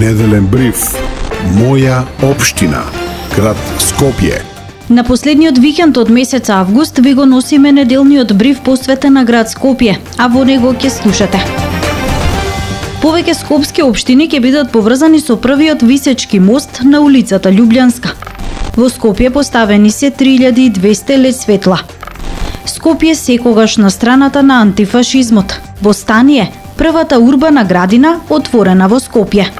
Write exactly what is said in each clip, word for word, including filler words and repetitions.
Неделен бриф. Моја општина. Град Скопје. На последниот викенд од месец август ви го носиме неделниот бриф посветен на град Скопје, а во него ќе слушате. Повеќе скопски општини ќе бидат поврзани со првиот висечки мост на улицата Љубљанска. Во Скопје поставени се три илјади и двесте лед светла. Скопје секогаш на страната на антифашизмот. Во Станије, првата урбана градина отворена во Скопје.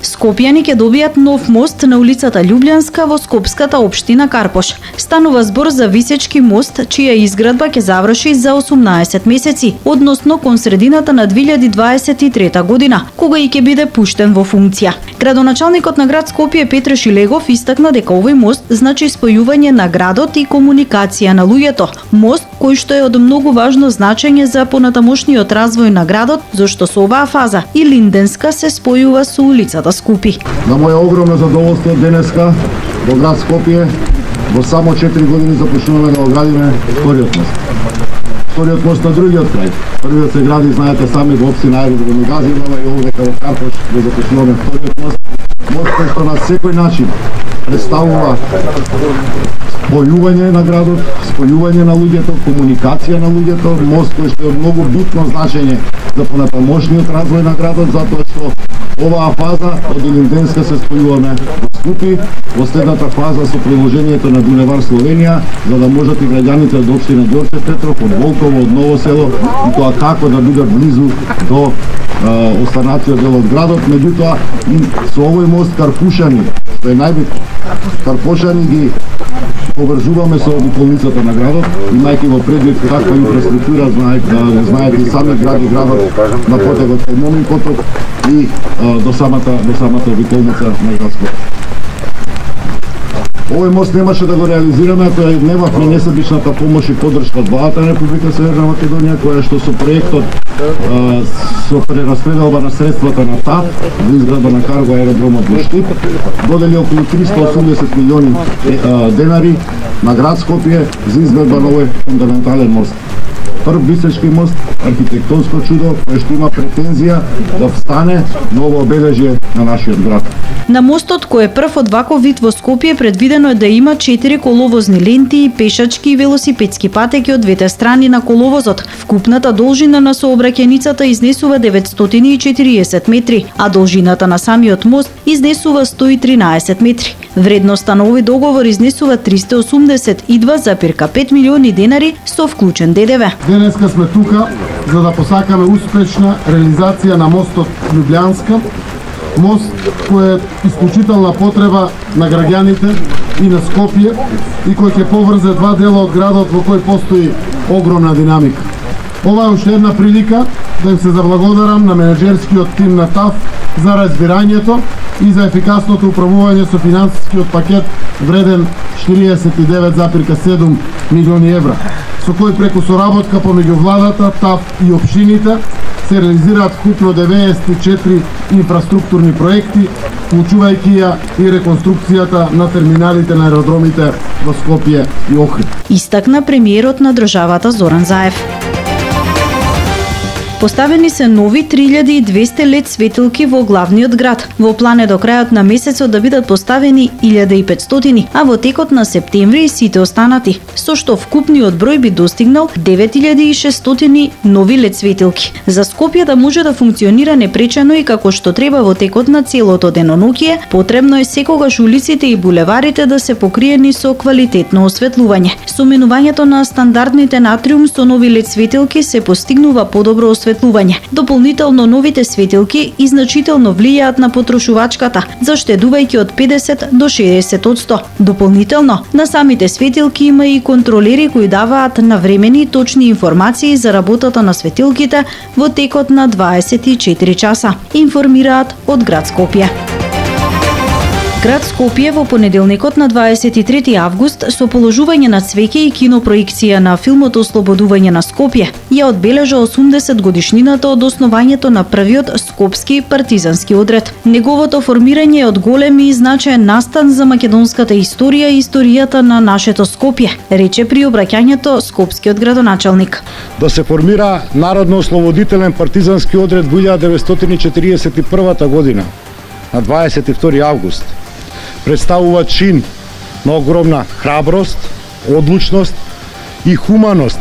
Скопјани ќе добијат нов мост на улицата Љубљанска во скопската општина Карпош. Станува збор за висечки мост, чија изградба ќе заврши за осумнаесет месеци, односно кон средината на две илјади дваесет и трета година, кога и ќе биде пуштен во функција. Градоначалникот на град Скопје Петре Шилегов истакна дека овој мост значи спојување на градот и комуникација на луѓето. Мост кој што е од многу важно значење за понатамошниот развој на градот, зашто со оваа фаза и Линденска се спојува со улицата Скупи. На моја огромно задоволство денеска во град Скопје во само четири години започнуваме да го градиме вториот мост. Вториот мост на другиот крај. Првиот се гради, знаете сами, во општина Ајдо во Негазинова и овдека во Карпош го започнуваме вториот мост. Мост кој што на секој начин представува спојување на градот, спојување на луѓето, комуникација на луѓето, мост кој што е многу битно значење за понатамошниот развој на градот, затоа што оваа фаза од Линденска се спојуваме во Скупи, во следната фаза со приложението на Булевар Словенија, за да можат и граѓаните од општина Ѓорче Петров, од Волково, од Ново село, и тоа како да бидат близу до е, останатиот дел од градот. Меѓутоа, и со овој мост Карпушани, што е најбитно, Карпошани ги поврзуваме со околницата на градот, имајќи во предвид каква инфраструктура, знаете, знаете и сами гради градот на потегот кај Момин поток и а, до самата до самата обиколница на град Скопје. Овој мост немаше да го реализираме, тоа немавме несебичната помош и поддршка од владата на Република Северна Македонија, која што со проектот а, со прераспределба на средствата на ТАФ за изградба на карго аеродромот во Штип додели околу триста и осумдесет милиони а, денари на град Скопје за изградба на овој фундаментален мост. Прв висечки мост, архитектонско чудо, кој што има претензија да встане ново обележје на нашиот град. На мостот, кој е прв од ваков вид во Скопје, предвидено е да има четири коловозни ленти, пешачки и велосипедски патеки од двете страни на коловозот. Вкупната должина на сообраќајницата изнесува деветстотини и четириесет метри, а должината на самиот мост изнесува сто и тринаесет метри. Вредноста на овој договор изнесува триста и осумдесет и два зарез пет милиони денари со вклучен ДДВ. Денеска сме тука за да посакаме успешна реализација на мостот Љубљанска, мост кој е исклучителна потреба на граѓаните и на Скопје и кој ќе поврзе два дела од градот во кој постои огромна динамика. Ова е уште една прилика да им се заблагодарам на менеджерскиот тим на ТАФ за разбирањето и за ефикасното управување со финансискиот пакет вреден четириесет и девет зарез седум милиони евра, со кој преку соработка помеѓу владата, ТАФ и општините се реализираат вкупно деветдесет и четири инфраструктурни проекти, вклучувајќи ја и реконструкцијата на терминалите на аеродромите во Скопје и Охрид. Истакна премиерот на државата Зоран Заев. Поставени се нови три илјади и двесте лед светилки во главниот град. Во план е до крајот на месецот да бидат поставени илјада и петстотини, а во текот на септември сите останати, со што вкупниот број би достигнал девет илјади и шестстотини нови лед светилки. За Скопје да може да функционира непречено и како што треба во текот на целото деноноќие, потребно е секогаш улиците и булеварите да се покриени со квалитетно осветлување. Со менувањето на стандардните натриум со нови лед светилки се постигнува подобро осветлување. Дополнително новите светилки и значително влијаат на потрошувачката, заштедувајќи од педесет до шеесет одсто. Дополнително, на самите светилки има и контролери кои даваат навремени и точни информации за работата на светилките во текот на дваесет и четири часа, информираат од град Скопје. Град Скопје во понеделникот на дваесет и трети август со положување на цвеќе и кинопроекција на филмот Ослободување на Скопје ја одбележа осумдесет годишнината од основањето на првиот скопски партизански одред. Неговото формирање е од голем и значаен настан за македонската историја и историјата на нашето Скопје, рече при обраќањето скопскиот градоначалник. Да се формира Народно-ослободителен партизански одред во илјада деветстотини четириесет и првата година на дваесет и втори август представува чин на огромна храброст, одлучност и хуманост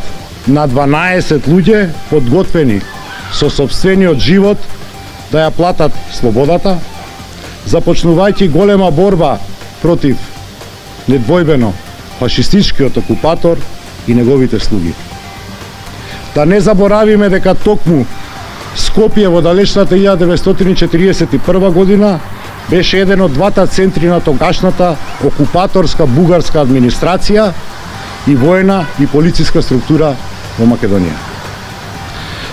на дванаесет луѓе подготвени со сопствениот живот да ја платат слободата, започнувајќи голема борба против недвојбено фашистичкиот окупатор и неговите слуги. Да не заборавиме дека токму Скопје во далечната илјада деветстотини и четиридесет и прва година беше еден од двата центри на тогашната окупаторска бугарска администрација и воена и полициска структура во Македонија.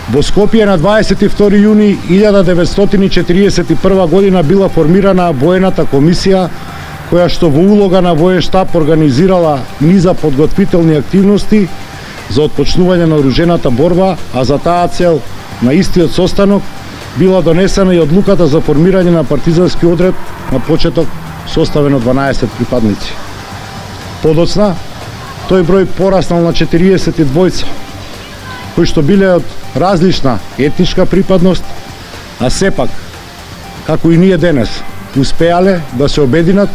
Во Скопје на дваесет и втори јуни илјада деветстотини и четиридесет и прва година била формирана воената комисија која што во улога на воен штаб организирала низа подготвителни активности за отпочнување на оружената борба, а за таа цел на истиот состанок била донесена и одлуката за формирање на партизански одред на почеток составен од дванаесет припадници. Подоцна, тој број пораснал на четириесет и двајца, кои што биле од различна етничка припадност, а сепак, како и ние денес, успеале да се обединат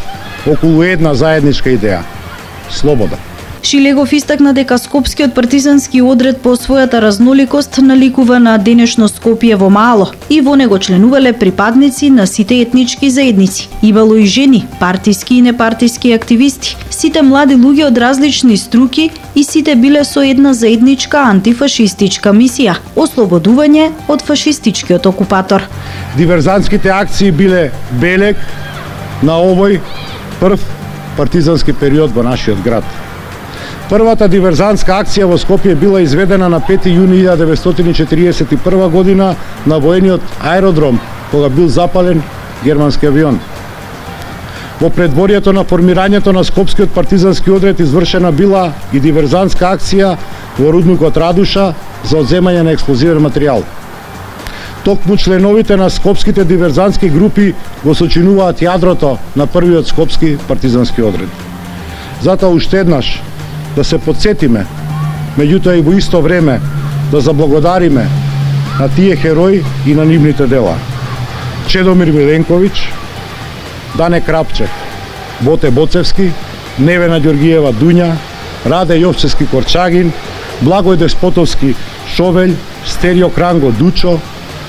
околу една заедничка идеја – слобода. Шилегов истакна дека Скопскиот партизански одред по својата разноликост наликува на денешно Скопје во мало и во него членувале припадници на сите етнички заедници. Имало и жени, партиски и непартиски активисти, сите млади луѓе од различни струки и сите биле со една заедничка антифашистичка мисија – ослободување од фашистичкиот окупатор. Диверзантските акции биле белег на овој прв партизански период во нашиот град. Првата диверзантска акција во Скопје била изведена на пети јуни илјада деветстотини и четиридесет и прва година на воениот аеродром, кога бил запален германски авион. Во предворието на формирањето на Скопскиот партизански одред извршена била и диверзантска акција во рудникот Радуша за одземање на експлозивен материјал. Токму членовите на скопските диверзантски групи го сочинуваат јадрото на првиот скопски партизански одред. Затоа уште еднаш да се подсетиме, меѓутоа и во исто време да заблагодариме на тие херои и на нивните дела. Чедомир Миленковиќ, Дане Крапчев, Боте Боцевски, Невена Ѓоргиева Дуња, Раде Јовчевски Корчагин, Благој Деспотовски Шовелј, Стерио Кранго Дучо,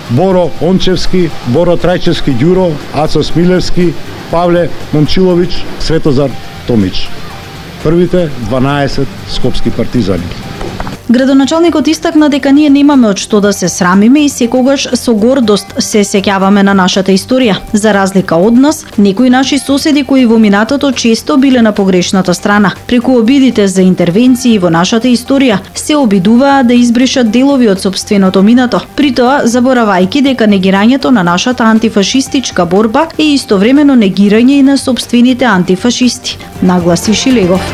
Боро Ончевски, Боро Трајчевски Ѓуро, Ацо Смилевски, Павле Момчиловиќ, Светозар Томич. Првите дванаесет скопски партизани. Градоначалникот истакна дека ние немаме од што да се срамиме и секогаш со гордост се сеќаваме на нашата историја. За разлика од нас, некои наши соседи кои во минатото често биле на погрешната страна, преку обидите за интервенции во нашата историја, се обидуваа да избришат делови од сопственото минато, при тоа заборавајќи дека негирањето на нашата антифашистичка борба е истовремено негирање и на сопствените антифашисти, нагласи Шилегов.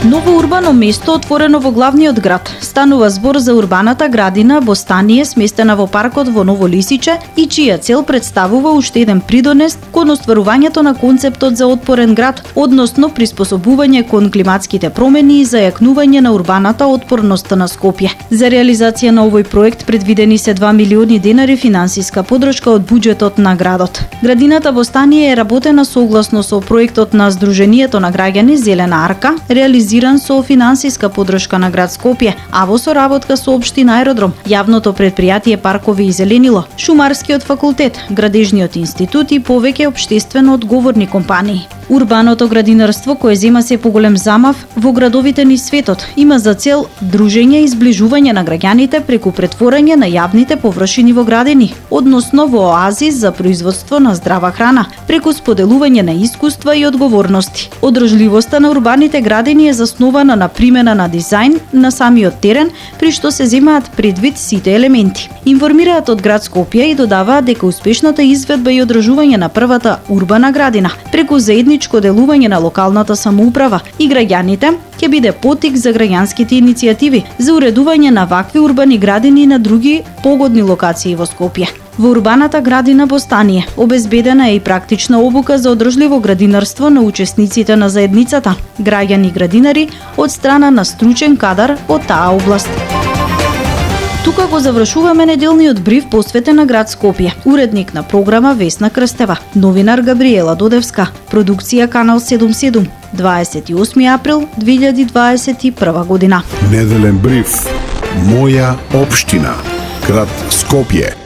Ново урбано место отворено во главниот град. Станува збор за урбаната градина Бостание, сместена во паркот во Ново Лисиче и чија цел представува уште еден придонес кон остварувањето на концептот за отпорен град, односно приспособување кон климатските промени и зајакнување на урбаната отпорност на Скопје. За реализација на овој проект предвидени се два милиони денари финансиска подршка од буџетот на градот. Градината Бостание е работена согласно со проектот на Сдруженијето на граѓани Зелена арка, реализиран со финансиска подршка на град Скопје, а во соработка со општина Аеродром, јавното предпријатие Паркови и зеленило, Шумарскиот факултет, Градежниот институт и повеќе општествено одговорни компании. Урбаното градинарство, кое зема се поголем замав во градовите низ светот, има за цел дружење и зближување на граѓаните преку претворање на јавните површини во градини, односно во оази за производство на здрава храна, преку споделување на искуства и одговорности. Одржливоста на урбаните градини е заснована на примена на дизајн на самиот терен, при што се земаат предвид сите елементи. Информираат од град Скопје и додаваат дека успешната изведба и одржување на првата урбана градина преку заедничко делување на локалната самоуправа и граѓаните ќе биде потик за граѓанските иницијативи за уредување на вакви урбани градини на други погодни локации во Скопје. Во урбаната градина Бостание обезбедена е и практична обука за одржливо градинарство на учесниците на заедницата, граѓани и градинари од страна на стручен кадар од таа област. Тука го завршуваме неделниот бриф посветен на град Скопје. Уредник на програма Весна Крстева, новинар Габриела Додевска, продукција Канал седумдесет и седум, дваесет и осми април две илјади дваесет и прва година. Неделен бриф. Моја општина. Град Скопје.